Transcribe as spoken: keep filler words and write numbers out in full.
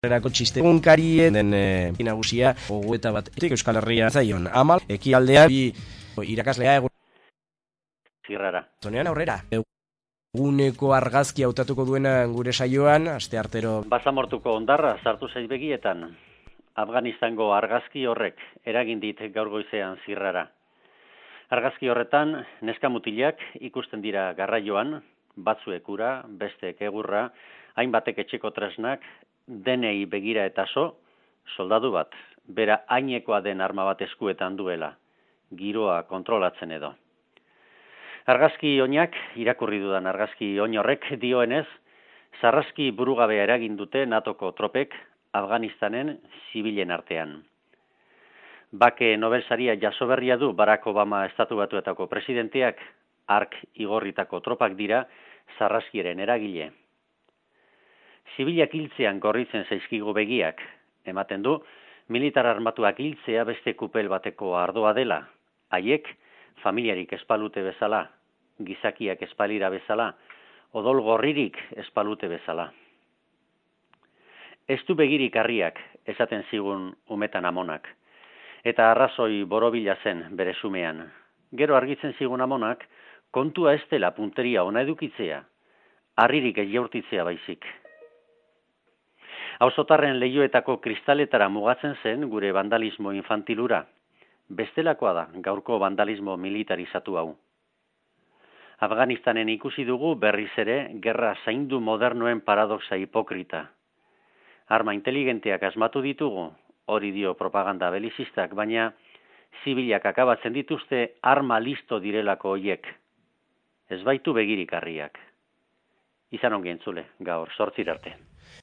Erako txiste egunkarien den e, nagusia gogoeta bat Euskal Herria zaion amal ekialdean bi irakaslea egun zirrara. Zonean aurrera eguneko argazki hautatuko duena gure saioan asteartero Basamortuko ondarra sartu zaiz begietan. Afganistango argazki horrek eragin dit gaur goizean zirrara. Argazki horretan neska mutilak ikusten dira garraioan, batzuek ura, besteek egurra, hainbatek etxeko tresnak, denei begira eta so, soldadu bat, bera hainekoa den arma bat eskuetan duela, giroa kontrolatzen edo. Argazki oinak, irakurri dudan argazki oin horrek dioenez, sarraski burugabea eragin dute natoko tropek Afganistanen zibilen artean. Bake Nobel saria jasoberria du Barack Obama estatu batuetako presidenteak, hark igorritako tropak dira sarraskiaren eragile. Zibilak hiltzean gorritzen zaizkigu begiak, ematen du, militar armatuak hiltzea beste kupel bateko ardoa dela, haiek familiarik espalute bezala, gizakiak espalira bezala, odol gorririk espalute bezala. Ez du begirik harriak, esaten zigun umetan amonak, eta arrazoi borobila zen bere sumean. Gero argitzen zigun amonak, kontua ez dela punteria ona edukitzea, harririk ez jaurtitzea baizik. Auzotarren leihoetako kristaletara mugatzen zen gure vandalismo infantilura. Bestelakoa da gaurko vandalismo militarizatu hau. Afganistanen ikusi dugu berriz ere gerra zaindu modernoen paradoxa hipokrita. Arma inteligenteak asmatu ditugu, hori dio propaganda belizistak, baina zibilak akabatzen dituzte arma listo direlako hoiek. Ez baitu begirik harriak. Izan ongi entzule, gaur, zortzir arte.